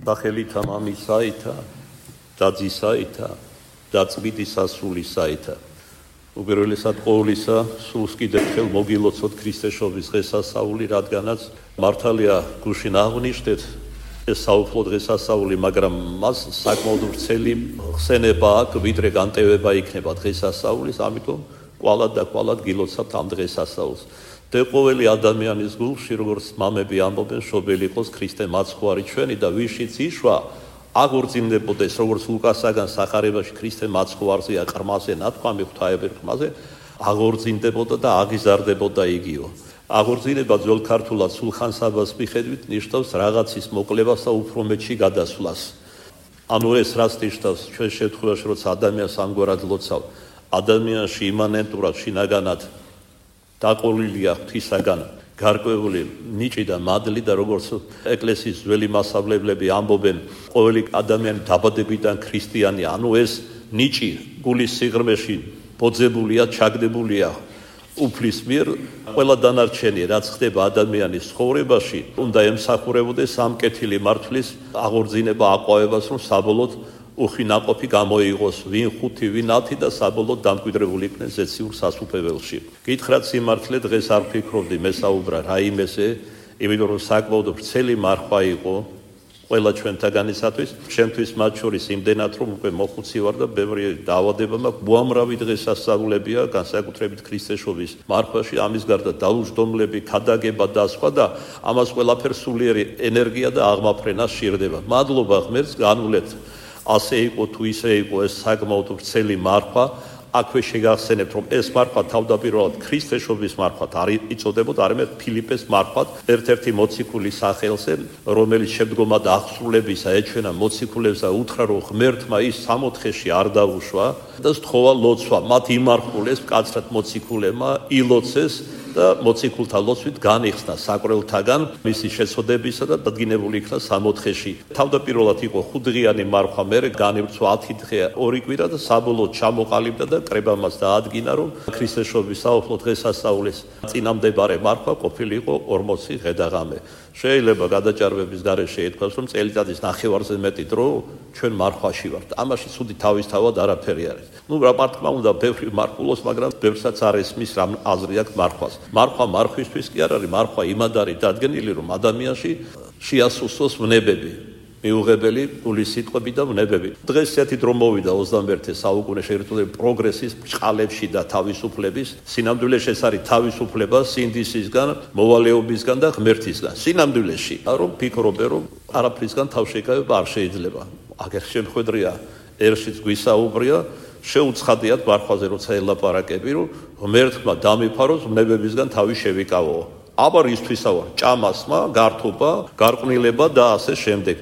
სახელითა მამისაითა და ძისაითა და წმინდის სასულისაითა. უპირველესად ყოვლისა სულს კიდევ ხელ მოგილოცოთ ქრისტეშობის დღესასწაული, რადგანაც მართალია გუშინ აღნიშნეთ ეს საუფლო დღესასწაული, მაგრამ მას საკმაოდ ვრცელი ხსენება აქვს, ვიდრე განტევება იქნება დღესასწაულის, ამიტომ კვალად და კვალად გილოცავთ ამ დღესასწაულს. და ყოველი ადამიანის გულში, როგორც მამები ამბობენ, შობელი იყოს ქრისტე მაცხვარი ჩვენი და ვიშიც იშვა აღორძინდებოდეს, როგორც ლუკასაგან სახარებაში ქრისტე მაცხვარზეა ყრმაზე ნათქვამი, ღვთაებრივ ყრმაზე აღორძინდებოდა და აღიზარდებოდა იგიო. აღორძინება ძველ ქართულად სულხან-საბას მიხედვით ნიშნავს რაღაცის მოკლებას და უფრო მეტში გადასვლას. ანუ ეს რაც ნიშნავს ჩვენ შემთხვევაში, როცა ადამიანს ამგვარად ლოცავ, ადამიანში იმანენტურად შინაგანად დაყოლილია ღვთისაგან გარკვეული ნიჭი და მადლი და როგორც ეკლესიის ძველი მასწავლებლები ამბობენ, ყოველი ადამიანი დაბადებიდან ქრისტიანი, ანუ ეს ნიჭი გულის სიღრმეში ბოძებულია, ჩაგდებულია უფლის მიერ, ყველა დანარჩენი რაც ხდება ადამიანის ცხოვრებაში, უნდა ემსახურებოდეს ამ კეთილი მართლის აღორძინება, აყვავებას, რომ საბოლოოდ უხინაყოფი გამოიღოს ვინ 5, ვინ 10 და საბოლოოდ დამკვიდრებული იქნეს ზეციურ სასუფეველში. გითხრათ სიმართლე, დღეს არ ფიქრობდი მესაუბრა რაიმეზე, იმიტომ რომ საკმაოდ ვრცელი მარხვა იყო ყველა ჩვენთაგანისათვის, ჩემთვის მათ შორის იმდენად, რომ უკვე მოხუცი ვარ და ბევრი დაავადება მაქვს, უამრავი დღესასწაულებია, განსაკუთრებით ქრისტეშობის მარხვაში, ამის გარდა დაუჯდომლები, ქადაგება და სხვა და ამას ყველაფერს სულიერი ენერგია და აღმაფრენა სჭირდება. მადლობა ღმერთს, განვლეთ ასე იყო თუ ისე იყო ეს საკმაოდ ვრცელი მარხვა, აქვე შეგახსენებთ, რომ ეს მარხვა თავდაპირველად ქრისტეშობის მარხვად არ იწოდებოდა, არამედ ფილიპეს მარხვად, ერთ-ერთი მოციქულის სახელზე, რომელიც შემდგომად აღსრულებისა ეჩვენა მოციქულებს და უთხრა, რომ ღმერთმა ის 60-ში არ დაუშვა და სთხოვა ლოცვა. მათ იმარხულეს მკაცრად მოციქულებმა, ილოცეს და მოციქულთა ლოცვით განიხსნა საკრელთაგან მისი შეცოდებისა და დადგინებული იქნა 60-ში. თავდაპირველად იყო 5დღიანი მარხვა, მერე განივრცვა 10 დღე, 2 კვირა და საბოლოოდ ჩამოყალიბდა და კრებამას დაადგინა, რომ ქრისტეშობის საუფლო დღესასწაულის წინამდებარე მარხვა ყოფილიყო 40 ღედაღამე. შეიძლება გადაჭარბების გარეშე ითქვას, რომ წელიწადის ნახევარზე მეტი დრო ჩვენ მარხვაში ვართ. ამაში ცუდი თავისთავად არაფერი არის. რა მართლა უნდა ბევრი მარხულოს, მაგრამ ბევრსაც არ ესმის რამ აზრი აქვს მარხვას. მარხვა მარხვისთვის კი არ არის, მარხვა იმად არის დადგენილი, რომ ადამიანში შეასუსტოს ვნებები, მიუღებელი გულის სიტყვები და ვნებები. დღეს ესეთი დრო მოვიდა 21 საუკუნე შეერთებული პროგრესის ბრჭყალებში და თავისუფლების. სინამდვილეში ეს არის თავისუფლება სინდისისგან, მოვალეობისგან და ღმერთისგან. სინამდვილეში, რომ ფიქრობენ, რომ არაფრისგან თავშეკავება არ შეიძლება. აგერ შემხედრია, ერშიც გვისაუბრია, შეუცხადიათ მარხვაზე როცა ელაპარაკები, რომ ღმერთმა დამიფაროს ვნებებისგან თავი შევიკავო. აბა რისთვისა ვარ? ჭამასმა, გართობა, გარყვნილება და ასე შემდეგ.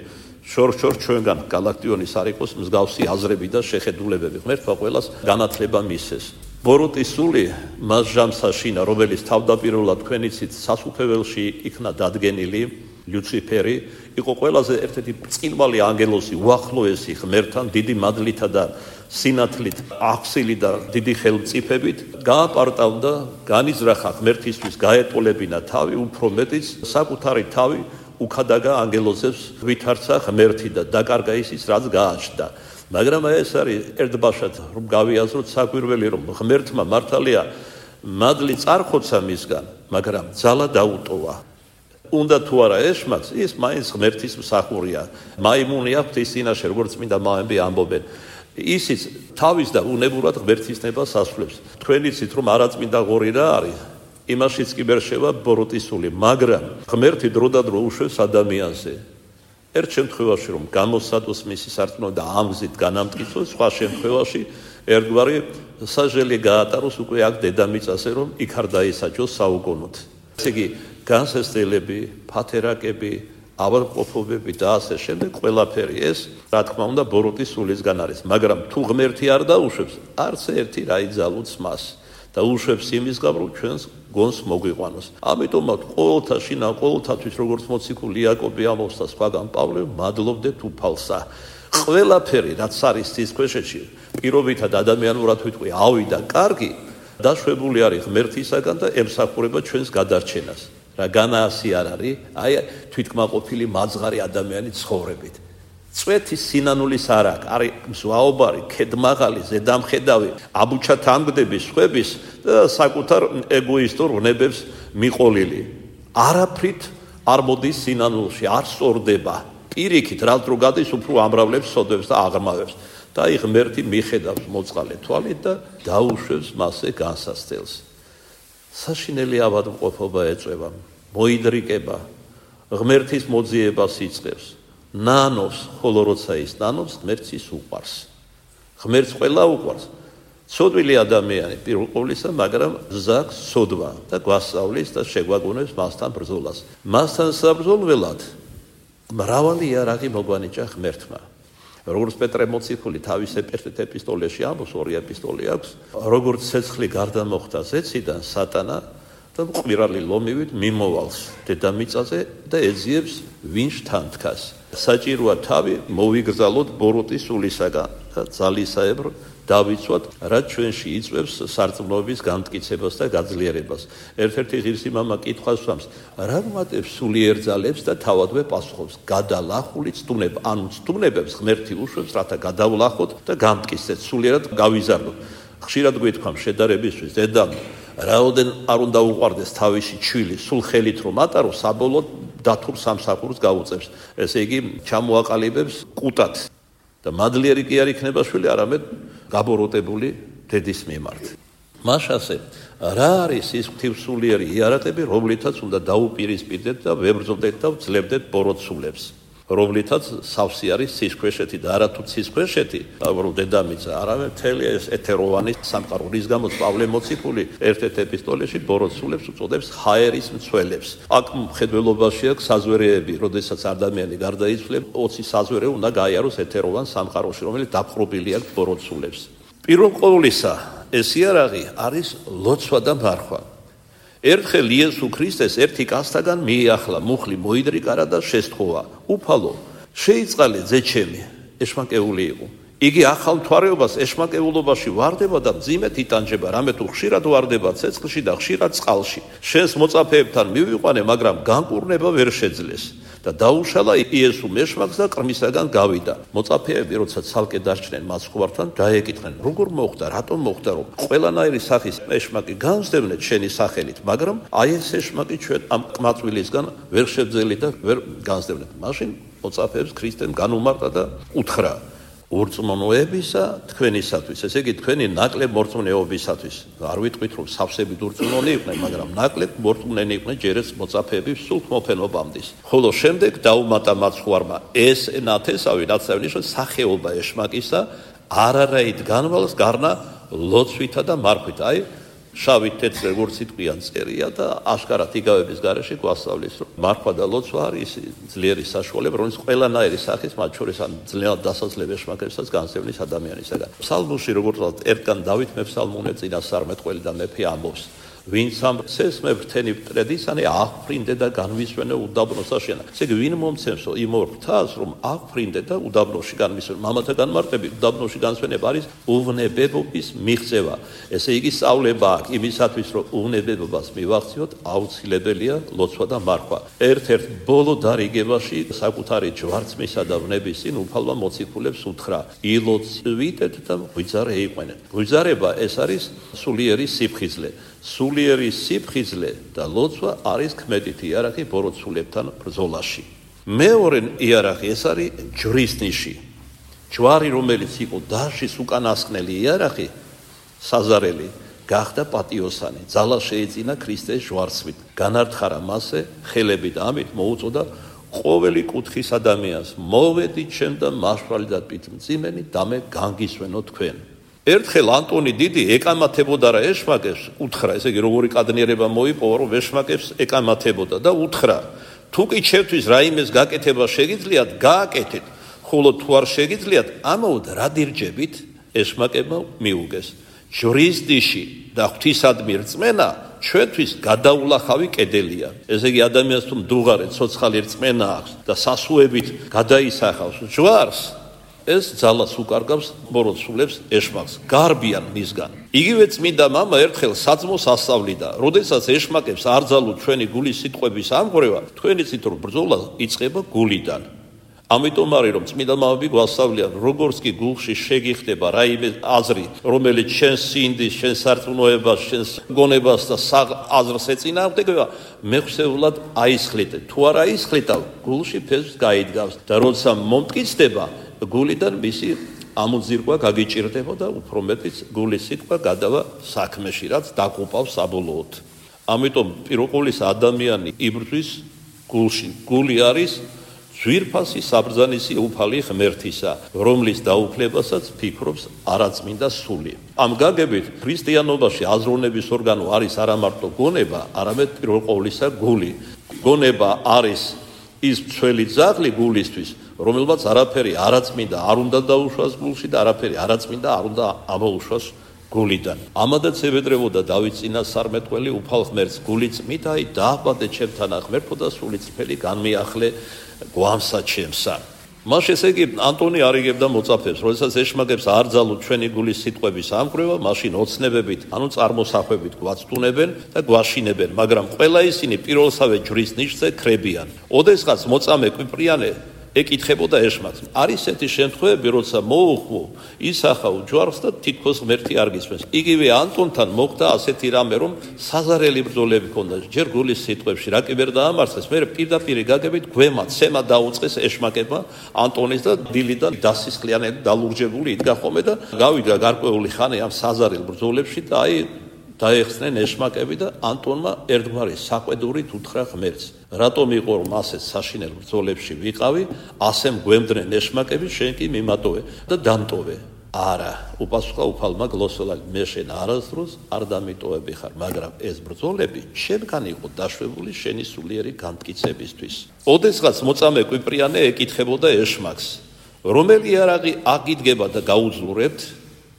შორ-შორ ჩვენგან გალაქტიონის არ იყოს მსგავსი აზრები და შეხედულებები. ღმერთმა ყველას განათლება მისცეს. ბოროტის სული მას ჟამსაშინა, რომელიც თავდაპირველად თქვენიცით სასუფეველში იქნა დადგენილი, ლუციფერი, იყო ყველაზე ერთ-ერთი ბრწყინვალე ანგელოზი, უახლოესი ღმერთთან, დიდი მადლითა და სინათლით, აღსილი და დიდი ხელმწიფებით, გააპარტავდა, განიზრახა ღმერთისთვის, გაეტოლებინა თავი, უფრო მეტიც საკუთარი თავი უქადაგა ანგელოზებს ვითარცა ღმერთი და დაკარგა ისიც, რაც გააჩნდა. მაგრამ ეს არის ერთბაშად, რომ გავიაზროთ საკვირველი, რომ ღმერთმა მართალია მადლი წარხოცა მისგან, მაგრამ ძალა დაუტოვა. უნდა თუ არა ეშმაკ, ის მაინც ღმერთის მსახურია. მაიმუნი აქვს ის წინაშე, როგორც წმინდა მამები ამბობენ. ისიც თავის და უნებურად ღმერთის ნებას ასრულებს. თქვენ იცით, რომ არაწმინდა ღორი რა არის? იმაშიც კი ვერ შევა ბოროტის სული, მაგრამ ღმერთი დროდადრო უშვებს ადამიანზე. ერთ შემთხვევაში რომ გამოსადოს მისი სარწმუნო და ამ გზით განამტკიცოს, სხვა შემთხვევაში ერთგვარი საჟელი გაატაროს უკვე აქ დედამიწაზე, რომ იქ არ დაისაჯოს საუკუნოდ. ესე იგი, განსასწრებელი, ფათერაკები, ავადმყოფობები და ასე შემდეგ ყველაფერი ეს, რა თქმა უნდა, ბოროტის სულისგან არის, მაგრამ თუ ღმერთი არ დაუშვებს, არც ერთი რა იძალუც მას და უშვებს იმის გამო, რომ ჩვენს გონს მოგვიყვანოს. ამიტომაც ყოველთა შინა, ყოველთათვის როგორც მოციქული იაკობი ამბობს და სხვაგან პავლე, მადლობდეთ უფალსა. ყველაფერი, რაც არის ცისქვეშეთში, პირობითად ადამიანურად ვიტყვი, ავიდა კარგი, დაშვებული არის ღმერთისაგან და ემსახურება ჩვენს გადარჩენას. რა განაასი არ არის, აი თვითკმაყოფილი მაძღარი ადამიანი ცხოვრებით. წვეთის სინანულის არაკ, არის მზვაობარი, ქედმაღალი, ზედამხედავი, აბუჩა თანგდების, ხვების და საკუთარ ეგოისტურ ვნებებს მიყოლილი. არაფრით არ მოდის სინანულში, არ სწორდება. პირიქით, რაც რო გადის, უფრო ამრავლებს, სოდებს და აღრმავებს. და აი ღმერთი მიხედავს მოწყალე თვალით და დაუშვებს მასზე განსასწელს. საშინელი ავადმყოფობა ეწევა, მოიდრიკება, ღმერთის მოძიებას იწყებს. ნანობს, ხოლო როცა ის ნანობს, ღმერთს ის უყვარს. ღმერთს ყველა უყვარს. ცოდვილი ადამიანი პირველ ყოვლისა, მაგრამ ზაქს ცოდვა და გვასწავლის და შეგვაგონებს მასთან ბრძოლას. მასთან საბრძოლველად მრავალი იარაღი მოგვანიჭა ღმერთმა. როგორც პეტრე მოციქული თავის ეპისტოლეში ამბობს, 2 ეპისტოლე აქვს, როგორც ცეცხლი გარდა მოხდა ზეციდან სატანა და მყвирალი ლომივით მიმოვალს დედამიწაზე და ეძიებს ვინ შთანთქას. საჭიროა თავი მოვიგრძალოთ ბოროტის სულისაგან და ძალისაებრ დავიცვათ, რაც ჩვენში იწვევს სარწმუნოების განმტკიცებას და გაძლიერებას. ერთ-ერთი ღირსი მამა კითხვას სვამს, რა ვუმატებს სულიერ ძალებს და თავადვე პასუხობს, გადალახული ცდუნება, ანუ ცდუნებებს ღმერთი უშვებს, რათა გადავლახოთ და გამტკიცდეთ, სულიერად გავიზარდოთ. ხშირად გვითქვამ შედარებისთვის, დედამ, რაოდენ არ უნდა უყვარდეს თავისი ჩვილი, სულ ხელით რომ ატარო, საბოლოოდ დათურ სამსახურს გაუწევს. ესე იგი, ჩამოაყალიბებს კუტად. და მადლიერი კი არ იქნება შვილი, არამედ გაბოროტებული დედის მიმართ. მაშასე, რა არის ის ღვთივსულიერი იარაღები, რომლითაც უნდა დაუპირისპირდეთ და ვებრძოდეთ და ვძლებდეთ ბოროტსულებს, რომლითაც სავსე არის ცისქვეშეთი და არათუ ცისქვეშეთი, რომ დედამიწა, არამედ მთელი ეს ეთეროვანი სამყარო, რის გამოც პავლე მოციქული ერთ-ერთ ეპისტოლეში ბოროტსულებს უწოდებს ჰაერის მცველებს. აქ მხედველობაში აქვს საზვერეები, როდესაც ადამიანი გარდაიცვლება, 20 საზვერე უნდა გაიაროს ეთეროვან სამყაროში, რომელიც დაპყრობილი აქვს ბოროტსულებს. პირველ ყოვლისა, ეს იარაღი არის ლოცვა და მარხვა. ერთხელ იესო ქრისტეს ერთი კაცთაგან მიიახლა, მუხლი მოიდრიკარა და შესთხოვა. უფალო, შეიწყალე ძეჩემი, ეშმაკეული იყო. იგი ახალ მთვარეობას ეშმაკეულობაში ვარდება და მძიმედ იტანჯება, რამე თუ ხშირად ვარდება ცეცხლში და ხშირად წყალში. შენს მოწაფეებთან მივიყვანე, მაგრამ განკურნება ვერ შეძლეს. და დაუშალა იესო მეშმაკს და ყრმისაგან გავიდა. მოწაფეები, როცა ცალკე დარჩნენ მას ხვართან, დაეკითხნენ, როგორ მოხდა, რატომ მოხდა, რომ ყველანაირი სახის ეშმაკი განსდევნეთ შენი სახელით, მაგრამ აი ეს ეშმაკი ჩვენ ამ ყმაწვილისგან ვერ შევძელით და ვერ განსდევნეთ. მაშინ მოწაფეებს ქრისტემ განუმარტა და უთხრა, ურწმუნოებისა თქვენისათვის, ესე იგი თქვენი ნაკლებ მორწმუნეობისათვის. არ ვიტყვით რომ სავსებით ურწმუნონი იყვნენ, მაგრამ ნაკლებ მორწმუნენი იყვნენ ჯერაც მოწაფეები სულ მოფენობამდის. ხოლო შემდეგ დაუმატა მაცხვარმა ეს ნათესავი, რაც აღნიშნავს სახეობა ეშმაკისა, არარაით განვალს გარნა ლოცვითა და მარხვით. აი შავით თეთრ როგორც სიტყვიან წერია და აშკარად იგავების გარეშე გვასწავლის, რომ მარხვა და ლოცვა არის ძლიერი საშუალება, რომელიც ყველანაირი სახის, მათ შორის ან ძლიერად დასაძლებ ეშმაკებსაც განსევნის ადამიანისაგან. ფსალმოში, როგორც ერთგან დავით მეფსალმუნე წინასწარმეტყველი და მეფე ამბობს, ვინც ამ ცესმე ფრთენი მტრედისანი აღფრინდე და განვისვენე უდაბნოს აშენა. ესე იგი, ვინ მომცემსო იმ ორ ფრთას, რომ აღფრინდე და უდაბნოში განვისვენე. მამათა განმარტებით უდაბნოში განსვენება არის უვნებებობის მიღწევა. ესე იგი, სწავლება აქვს იმისათვის, რომ უვნებებობას მივახციოთ, აუცილებელია ლოცვა და მარხვა. ერთ-ერთ ბოლო დარიგებაში საკუთარი ჯვარცმისა და ვნების წინ უფალმა მოციქულებს უთხრა, ილოცვიტეთ და ღვიძარე იყვენეთ. ღვიძარება ეს არის სულიერი სიფხიზლე. სულიერი სიფხიზლე და ლოცვა არის ქმედით იარაღი ბოროტსულებთან ბრძოლაში. მეორე იარაღი ეს არის ჯვრის ნიში. ჯვარი, რომელიც იყო დაშის უკანასკნელი იარაღი, საზარელი, გახდა პატიოსანი. ძალა შეეძინა ქრისტეს ჯვარცმით. განართხარა მასზე ხელები და ამით მოუწოდა ყოველი კუთხის ადამიანს, მოვედით ჩემ და მაშვრალი და პიტმძიმენი და მე განგისვენო თქვენ. ერთხელ ანტონი დიდი ეკამათებოდა რა ეშმაკებს, უთხრა, ესე იგი როგორი კადნიერება მოიპოვა, რომ ეშმაკებს ეკამათებოდა და უთხრა, თუ კი ჩემთვის რაიმეს გაკეთება შეგიძლიათ, გააკეთეთ, ხოლო თუ არ შეგიძლიათ, ამაოდ რა დირჯებით ეშმაკებმა მიუგეს. ჯვრის ნიში და ღვთისადმი რწმენა ჩვენთვის გადაულახავი კედელია. ესე იგი ადამიანს თუ მდუღარე ცოცხალი რწმენა აქვს და სასუებით გადაისახავს ჯვარს, ეს ძალას უკარგავს ბოროტსულებს ეშმაკს, გარბიან მისგან. იგივე წმინდა მამა ერთხელ საძმოს ასწავლიდა, როდესაც ეშმაკებს არ ძალოთ ჩვენი გულის სიტყვების ამღვრევა, თქვენი ცით რომ ბრძოლა იწყება გულიდან. ამიტომ არის რომ წმინდა მამები გვასწავლიან როგორც კი გულში შეგიხდება რაიმე აზრი რომელიც შენს სინდის შენს სარწმუნოებას შენს გონებას და აზრს ეწინააღმდეგება მეხსეულად აისხლით თუ არ აისხლით გულში ფესვს გაიდგავს და როცა მომტკიცდება გულიდან მისი ამოძირკვა გაგიჭირდება და უფრო მეტიც გულის სიტყვა გადავა საქმეში რაც დაკუპავს საბოლოოდ ამიტომ პიროყოლის ადამიანი იბრძვის გულში გული არის ძვირფასი საბრძანისი უფალი ღმერთისა, რომლის დაუფლებასაც ფიქრობს არაწმინდა სული. ამ გაგებით ქრისტიანობაში აზროვნების ორგანო არის არა მარტო გონება, არამედ პირველ ყოვლისა გული. გონება არის ის მცველი ძაღლი გულისთვის, რომელმაც არაფერი არაწმინდა არ უნდა დაუშვას გულში და არაფერი არაწმინდა არ უნდა ამოუშვას გულიდან. ამადაც ებედრებოდა დავით წინასწარმეტყველი უფალ ღმერთს გული წმით აი დააბადე ჩემთან ღმერთო და სული წფელი განმიახლე გვამსა ჩემსა. მას ესე იგი ანტონი არიგებდა მოწაფებს, როდესაც ეშმაკებს არ ძალუთ ჩვენი გულის სიტყვების ამკვრევა, მაშინ ოცნებებით, ანუ წარმოსახვებით გვაცდუნებენ და გვაშინებენ, მაგრამ ყველა ისინი პირველსავე ჯვრის ნიშზე ქრებიან. ოდესღაც მოწამე კვიპრიანე ეკითხებოდა ეშმაკს. არის ესეთი შემთხვევები, როცა მოუხმო ისახავ ჯვარს და თითქოს ღმერთი არ გისმენს. იგივე ანტონთან მოხდა ასეთი რამე, რომ საზარელი ბრძოლები ჰქონდა. ჯერ გულის სიტყვებში რა კი ვერ დაამარცხეს, მე პირდაპირ გაგებით გვემა ცემა დაუწყეს ეშმაკებმა ანტონის და დილიდან დასისხლიანები დალურჯებული იდგა ხოლმე და გავიდა გარკვეული ხანი ამ საზარელ ბრძოლებში და აი დაეხსნენ ეშმაკები და ანტონმა ერთგვარი საყვედურით უთხრა ღმერთს. რატომ იყო რომ ასე საშინელ ბრძოლებში ვიყავი, ასე მგვემდნენ ეშმაკები, შენ კი მიმატოვე და დამტოვე. არა, უპასუხა უფალმა გლოსოლად, მე შენ არასდროს არ დამიტოვები ხარ, მაგრამ ეს ბრძოლები შენგან იყო დაშვებული შენი სულიერი განმტკიცებისთვის. ოდესღაც მოწამე კვიპრიანე ეკითხებოდა ეშმაკს, რომელი იარაღი აგიდგება და გაუძლურებთ?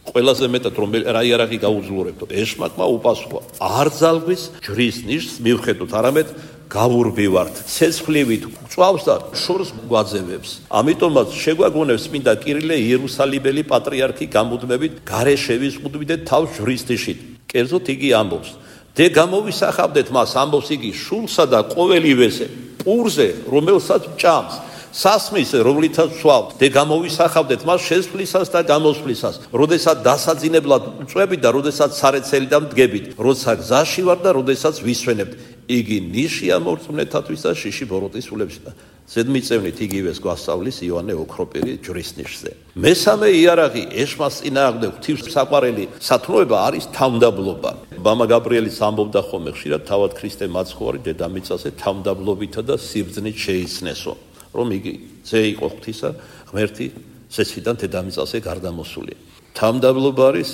ყველაზე მეტად რა იარაღი გაუძლურებთ? ეშმაკმა უპასუხა, არ ძალგვის ჯვრის ნიშს მივხედოთ, არამედ გავურბივართ, ცეცხლივით წვავს და შორს გვაძევებს. ამიტომაც შეგვაგონებს წმინდა კირილე იერუსალიმელი პატრიარქი გამუდმებით გარე შევიზღუდვიდეთ თავს ჯვრის ნიშით. კერძოდ იგი ამბობს, დე გამოვისახავდეთ მას, ამბობს იგი, შულსა და ყოველივეზე, პურზე, რომელსაც ჭამს, სასმისზე, რომლითაც სვავთ, დე გამოვისახავდეთ მას შესვლისას და გამოსვლისას, როდესაც დასაძინებლად წვებით და როდესაც სარეცელიდან მდგებით, როცა გზაში ვარ და როდესაც ვისვენებთ. იგი ნიშია მორწმუნეთათვის და შიში ბოროტის სულებში. ზედმიწევნით იგივეს გვასწავლის იოანე ოქროპირი ჯვრის ნიშზე. მესამე იარაღი ეშმაკს წინააღმდეგ ღვთისმსაყვარელი სათნოება არის თავმდაბლობა. მამა გაბრიელიც ამბობდა ხოლმე ხშირად თავად ქრისტე მაცხოვარი დედამიწაზე თავმდაბლობითა და სიბრძნით შეიცნესო. რომ იგი ძე იყო ღვთისა, ღმერთი სესვიდან დედამიწაზე გარდამოსული. თავმდაბლობა არის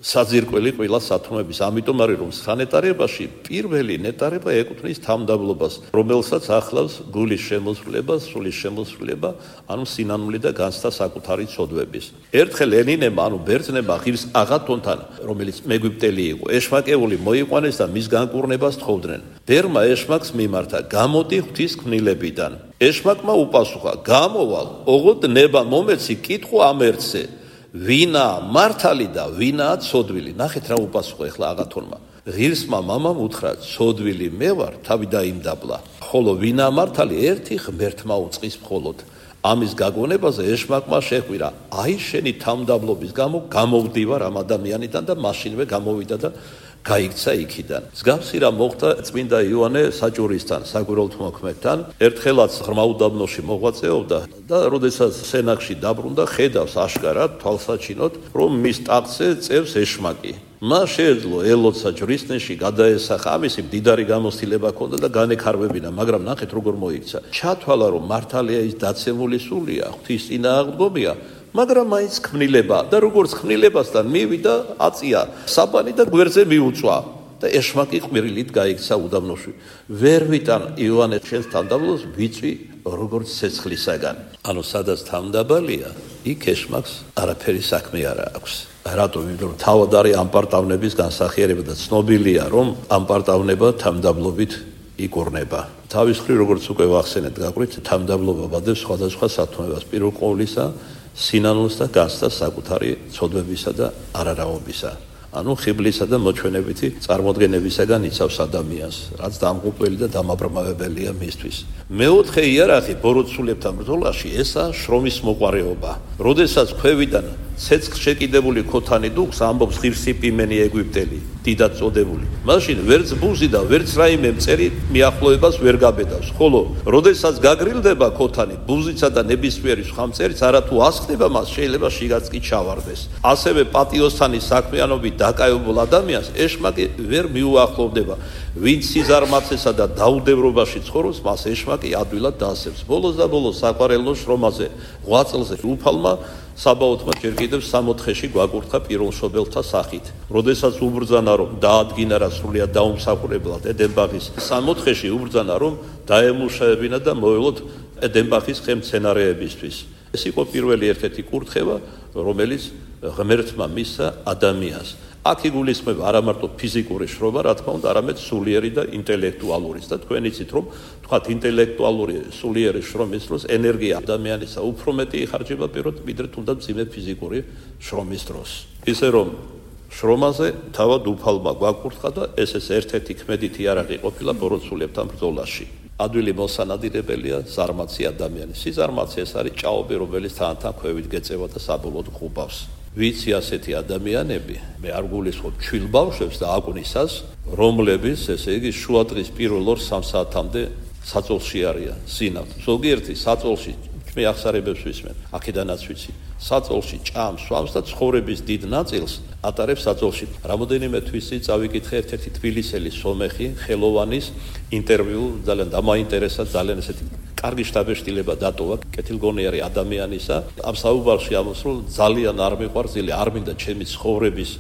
საძირკველი ყველა სათნოების. ამიტომ არის რომ სანეტარებაში პირველი ნეტარება ეკუთვნის თავმდაბლობას, რომელსაც ახლავს გულის შემოსვლება, სულის შემოსვლება, ანუ სინანული და განცდა საკუთარი ცოდვების. ერთხელ ელინებმა, ანუ ბერძნებმა ღირს აღათონთან, რომელიც მეგვიპტელი იყო, ეშმაკეული მოიყვანეს და მის განკურნებას თხოვდნენ. ბერმა ეშმაკს მიმართა, გამოდი ღვთის ქმნილებიდან. ეშმაკმა უპასუხა, გამოვალ, ოღონდ ნება მომეცი კითხო ამ ერთზე. ვინა მართალი და ვინაა ცოდვილი. ნახეთ რა უპასუხა ახლა აღათონმა. ღირსმა მამამ უთხრა, ცოდვილი მე ვარ, თავი დაიმდაბლა. ხოლო ვინა მართალი ერთი ღმერთმა უწყის მხოლოდ. ამის გაგონებაზე ეშმაკმა შეხვირა, აი შენი თავმდაბლობის გამო გამოვდივარ ამ ადამიანიდან და მაშინვე გამოვიდა და გაიქცა იქიდან. მსგავსი რა მოხდა წმინდა იოანე საჭურისთან, საგვირელთმოქმედთან. ერთხელაც ღრმა უდაბნოში მოღვაწეობდა და როდესაც სენაკში დაბრუნდა, ხედავს აშკარად თვალსაჩინოდ, რომ მის ტახტზე წევს ეშმაკი. მას შეეძლო ელოცა ჯვრისნეში გადაესახა, ამისი მდიდარი გამოცდილება ჰქონდა და განექარვებინა, მაგრამ ნახეთ როგორ მოიქცა. ჩათვალა რომ მართალია ის დაცემული სულია, ღვთის წინააღმდგომია, მაგრამ მაინც ქმნილება და როგორც ქმნილებასთან მივიდა აწია საბანი და გვერდზე მიუწვა და ეშმაკი ყვირილით გაიქცა უდაბნოში. ვერ ვიტან იოანე შენს თავმდაბლობას ვიწვი როგორც ცეცხლისაგან. ანუ სადაც თავმდაბალია, იქ ეშმაკს არაფერი საქმე არ აქვს. რატომ? იმიტომ რომ თავად არის ამპარტავნების განსახიერება და ცნობილია რომ ამპარტავნება თავმდაბლობით იკურნება. თავის მხრივ როგორც უკვე ვახსენეთ გაყრით, თავმდაბლობა ვადებს სხვადასხვა სათნოებას, პირველ ყოვლისა სინანულს და განცდას საკუთარი ცოდვებისა და არარავობისა. ანუ ხიბლისა და მოჩვენებითი წარმოდგენებისაგან იცავს ადამიანს, რაც დამღუპველი და დამაბრმავებელია მისთვის. მეოთხე იარაღი ბოროტსულებთან ბრძოლაში ესაა შრომის მოყვარეობა. როდესაც ქვევიდან ცეცხლ შეკიდებული ქოთანი დუქს, ამბობს ღირსი პიმენი ეგვიპტელი, დიდად წოდებული. მაშინ ვერც ბუზი და ვერც რაიმე მწერი მიახლოებას ვერ გაბედავს, ხოლო როდესაც გაგრილდება ქოთანი, ბუზიცა და ნებისმიერი სხვა მწერიც არათუ ასხდება მას, შეიძლება შიგაც კი ჩავარდეს. ასევე პატიოსანი საქმიანობით დაკავებულ ადამიანს ეშმაკი ვერ მიუახლოვდება. ვინც სიზარმაცესა და დაუდევრობაში ცხოვრობს, მას ეშმაკი ადვილად დაასებს. ბოლოს და ბოლოს საყვარელო შრომაზე, ღვაწლზე უფალმა საბაოთმა ჯერ კიდევ 64-ში გვაკურთხა პირველშობელთა სახით. როდესაც უბრძანა, რომ დაადგინა რა სრულიად დაუმსახურებლად ედენბახის 64-ში უბრძანა, რომ დაემუშავებინა და მოელოთ ედენბახის ხელმცენარეებისთვის. ეს იყო პირველი ერთ-ერთი კურთხევა, რომელიც ღმერთმა მისცა ადამიანს. აქ იგულისხმება არა მარტო ფიზიკური შრომა, რა თქმა უნდა, არამედ სულიერი და ინტელექტუალურიც. და თქვენ იცით, რომ თქვათ ინტელექტუალური სულიერი შრომის დროს ენერგია ადამიანისა უფრო მეტი იხარჯება პირდ ვიდრე თუნდაც მძიმე ფიზიკური შრომის დროს. ისე რომ შრომაზე თავად უფალმა გვაკურთხა და ეს ერთ-ერთი ქმედითი იარაღი ყოფილა ბოროტსულებთან ბრძოლაში. ადვილი მოსანადირებელია ზარმაცი ადამიანი. სიზარმაცი ეს არის ჭაობი, რომელიც თანთან ქვევით გეწევა და საბოლოოდ ყუბავს. ვიცი ასეთი ადამიანები, მე არ გულისხმობ ჩვილ ბავშვებს და აკვნისას, რომლებიც, ესე იგი, შუადღის პირველ 2-3 საათამდე საწოლში არიან, სინავთ. ზოგიერთი საწოლში მე ახსარებებს ვისმენ, აქედანაც ვიცი. საწოლში ჭამს, სვამს და ცხოვრების დიდ ნაწილს ატარებს საწოლში. რამოდენიმე თვის წინ წავიკითხე ერთ-ერთი თბილისელი სომეხი ხელოვანის ინტერვიუ, ძალიან დამაინტერესა, ძალიან ესეთი კარგი შთაბეჭდილება დატოვა კეთილგონიერი ადამიანისა. ამ საუბარში ამბობს, რომ ძალიან არ მიყვარს, არ მინდა ჩემი ცხოვრების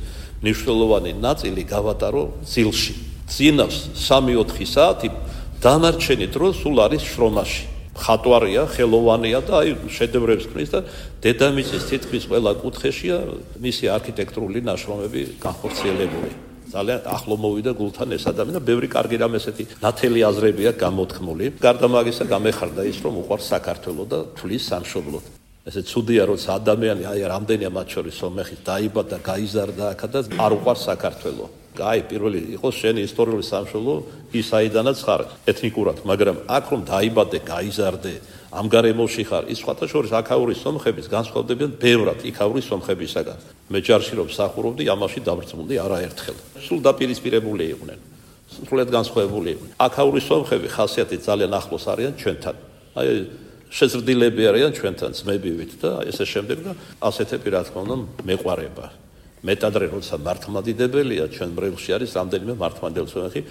მნიშვნელოვანი ნაწილი გავატარო ძილში. ძინავს 3-4 საათი, დანარჩენი დრო სულ არის შრომაში. ხატვარია, ხელოვანია და აი შედევრებს ქმნის და დედამიწის თითქმის ყველა კუთხეშია მისი არქიტექტურული ნაშრომები განხორციელებული. ძალიან ახლო მოვიდა გულთან ეს ადამიანი და ბევრი კარგი რამ ესეთი ნათელი აზრები აქვს გამოთქმული. გარდა მაგისა გამეხარდა ის, რომ უყვარს საქართველო და თulis სამშობლოდ. ესე ცუდია, როცა ადამიანი აი რამდენია მათ შორის სომეხი დაიბადა, გაიზარდა აქ და არ უყვარს საქართველო. აი პირველი იყოს შენი ისტორიული სამშობლო ის აიდანაც ხარ ეთნიკურად, მაგრამ აქ რომ დაიბადე, გაიზარდე, ამ გარემოში ხარ, ის სხვათა შორის აქაური სომხების განსხვავდებიან ბევრად იქაური სომხებისაგან. მე ჯარში რომ მსახურობდი, ამაში დაბრწმუნდი არაერთხელ. სულ დაპირისპირებული იყვნენ, სრულიად განსხვავებული იყვნენ. აქაური სომხები ხასიათით ძალიან ახლოს არიან ჩვენთან. აი შეზრდილები არიან ჩვენთან ძმებივით და ესე შემდეგ და ასეთები რა თქმა უნდა მეყვარება. მეტადრე როცა მართლმადიდებელია ჩვენ ბრელში არის რამდენიმე მართლმადიდებელი სომეხი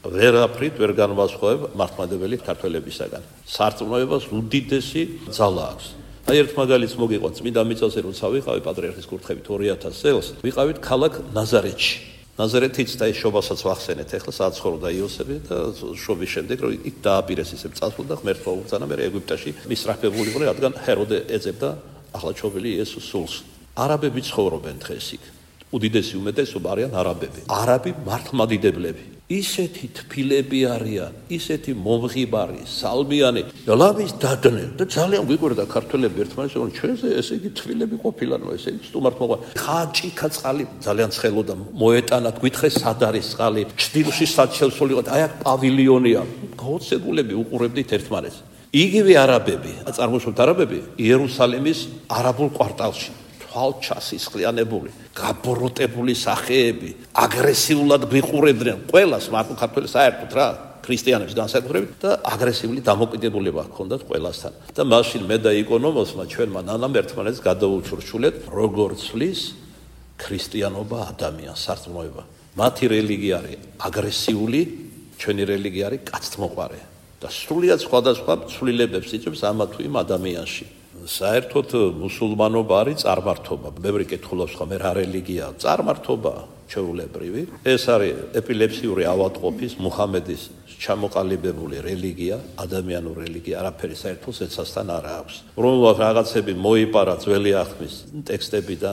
ვერაფრით ვერ განვასხვავებ მართლმადიდებელი ქართველებისაგან. სარწმუნოებას უდიდესი ძალა აქვს. აი ერთ მაგალითს მოგიყვანთ, წმინდა მიწაზე როცა ვიყავი პატრიარქის კურთხევით 2000 წელს, ვიყავით ქალაქ ნაზარეთში. ნაზარეთიც და ის შობასაც ვახსენეთ, ახლა საცხოვრდა იოსები და შობის შემდეგ რომ იქ დააპირეს ისე წასვლა და ღმერთმა უბრძანა, მე ეგვიპტეში მისრაფებული იყო, რადგან ჰეროდე ეძებდა ახალჩობილი იესოს სულს. არაბები ცხოვრობენ დღეს იქ. უდიდესი უმეტესობა არიან არაბები. არაბი მართლმადიდებლები. ისეთი თბილები არიან, ისეთი მომღიბარი, სალმიანი, ლამის დადნე და ძალიან გვიკვირდა ქართველები ერთმანეთს, რომ ჩვენზე ესე იგი თბილები ყოფილანო, ესე იგი სტუმართ მოყვა. ხაჭიქა წყალი ძალიან ცხელოდა, მოეტანათ, გვითხრეს სად არის წყალი, ჩრდილში სად შევსულიყოთ, აი აქ პავილიონია. გაოცებულები უყურებდით ერთმანეთს. იგივე არაბები, წარმოშობთ არაბები იერუსალიმის არაბულ კვარტალში. ჩასისხლიანებული, გაბოროტებული სახეები, აგრესიულად გვიყურებდნენ ყველას, მარტო ქართველებს საერთოდ რა, ქრისტიანებს განსაკუთრებით და აგრესიული დამოკიდებულება ჰქონდათ ყველასთან. და მაშინ მე და იკონომოსმა ჩვენმა ნანამ ერთმანეთს გადავუჩურჩულეთ, როგორ ცვლის ქრისტიანობა ადამიანს სარწმუნოება. მათი რელიგია არის აგრესიული, ჩვენი რელიგია არის კაცთმოყვარე და სრულიად სხვადასხვა ცვლილებებს იწვევს ამა თუ იმ ადამიანში. საერთოდ მუსულმანობა არის წარმართობა. ბევრი კითხულობს ხომ რა რელიგიაა? წარმართობა ჩვეულებრივი. ეს არის ეპილეფსიური ავადმყოფის მუჰამედის ჩამოყალიბებული რელიგია, ადამიანური რელიგია, არაფერი საერთო ზეცასთან არ აქვს. რომელსაც რაღაცები მოიპარა ძველი აღთქმის ტექსტები და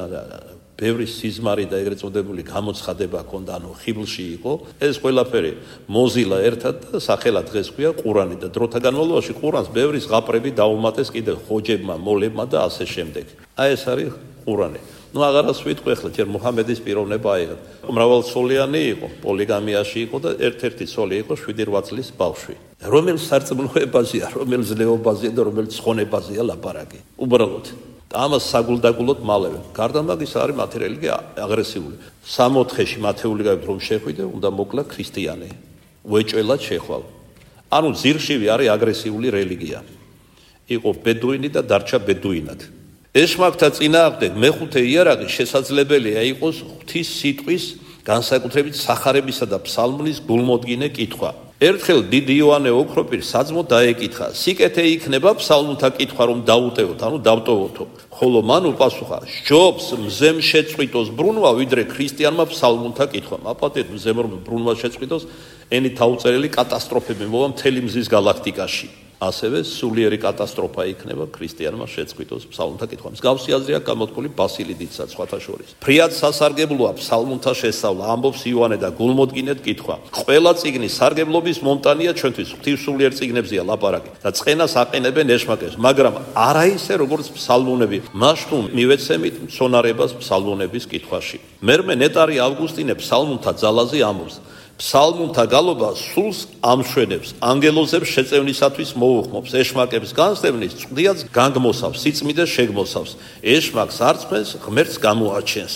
ბევრი სიზმარი და ეგრეთ წოდებული გამოცხადება ჰქონდა, ანუ ხიბლში იყო. ეს ყველაფერი მოზილა ერთად და სახელად დღეს ქვია ყურანი და დროთა განმავლობაში ყურანს ბევრი ზღაპრები დაუმატეს კიდევ ხოჯებმა, მოლებმა და ასე შემდეგ. აი ეს არის ყურანი. ნუ აღარას ვიტყვი ახლა ჯერ მუჰამედის პიროვნება აიღეთ. მრავალცოლიანი იყო, პოლიგამიაში იყო და ერთ-ერთი ცოლი იყო 7-8 წლის ბავშვი. რომელ სარწმუნოებაზეა, რომელ ზნეობაზეა და რომელ ცხონებაზეა ლაპარაკი. უბრალოდ ამას საგულდაგულოდ მალევე. გარდა მაგისა არის მათი რელიგია აგრესიული. 64-ში მათეული გავით რომ შეხვიდე, უნდა მოკლა ქრისტიანი. უეჭველად შეხვალ. ანუ ძირშივი არის აგრესიული რელიგია. იყო ბედუინი და დარჩა ბედუინად. ეშმაკთა წინააღმდეგ მეხუთე იარაღი შესაძლებელია იყოს ღვთის სიტყვის, განსაკუთრებით სახარებისა და ფსალმუნის გულმოდგინე კითხვა. ერთხელ დიდი იოანე ოქროპირს საძმო დაეკითხა: სიკეთე იქნება ფსალმუნთა კითხვა რომ დაუტევოთ, ანუ დავტოვოთო. ხოლო მან უპასუხა: სჯობს მზემ შეწყვიტოს ბრუნვა, ვიდრე ქრისტიანმა ფსალმუნთა კითხვა. აპატეთ მზემ რომ ბრუნვა შეწყვიტოს, ენით აუწერელი კატასტროფები მოვა მთელი მზის გალაქტიკაში. ასევე სულიერი კატასტროფა იქნება ქრისტიანმა შეწყვიტოს ფსალმუნთა კითხვა. მსგავსი აზრი აქვს გამოთქმული ბასილი დიდსაც სხვათა შორის. ფრიად სასარგებლოა ფსალმუნთა შესწავლა, ამბობს იოანე და გულმოდგინედ კითხვა. ყველა წიგნის სარგებლობის მომტანია ჩვენთვის ღვთისმსულიერ წიგნებზეა ლაპარაკი და წყენას აყენებენ ეშმაკებს, მაგრამ არა ისე როგორც ფსალმუნები. მაშთუ მივეცემით მცონარებას ფსალმუნების კითხვაში. მერმე ნეტარი ავგუსტინე ფსალმუნთა ძალაზე ამბობს: ფსალმუნთა გალობა სულს ამშვენებს, ანგელოზებს შეწევნისათვის მოუხმობს, ეშმაკებს განსდევნის, წვდიაც განგმოსავს, სიწმიდეს შეგმოსავს, ეშმაკს არწმენს, ღმერთს გამოაჩენს.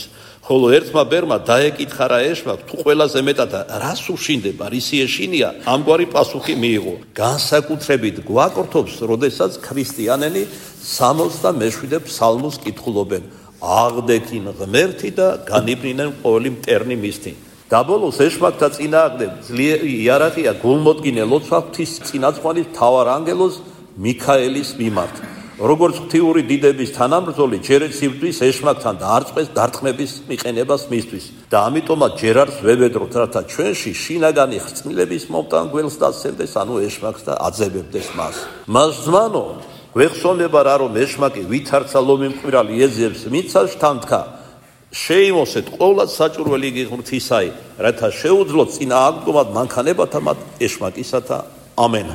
ხოლო ერთმა ბერმა დაეკითხა რა ეშმაკ, თუ ყველაზე მეტად რას უშინდება, რისი ეშინია, ამგვარი პასუხი მიიღო: განსაკუთრებით გვაკორთობს, როდესაც ქრისტიანები 67 ფსალმუნს კითხულობენ, აღდეგინ ღმერთი და განიბრინენ ყოველი მტერნი მისთი. დაბოლოს ეშმაკთა წინააღმდეგ ძლიერი იარაღია გულმოდგინე ლოცვა ღვთის წინაწყვალის მთავარ ანგელოზ მიქაელის მიმართ. როგორც ღვთიური დიდების თანამბრძოლი, ჯერაც იბრძვის ეშმაკთან და არწყეს დარტყმების მიყენებას მისთვის. და ამიტომაც ჯერ არც ვებედროთ, რათა ჩვენში შინაგანი ხრწნილების მომტან გველს დასცემდეს, ანუ ეშმაკს და აძებებდეს მას. მას ზმანო, გვეხსოვნება რა რომ ეშმაკი ვითარცა ლომი მკვირალი ეძებს მიცავს თანთქა. შეიმოსეთ ყოვლად საჭურველი იგი ღვთისაი, რათა შეუძლოთ წინააღმდგომად მანქანებათა მათ ეშმაკისათა. ამენ.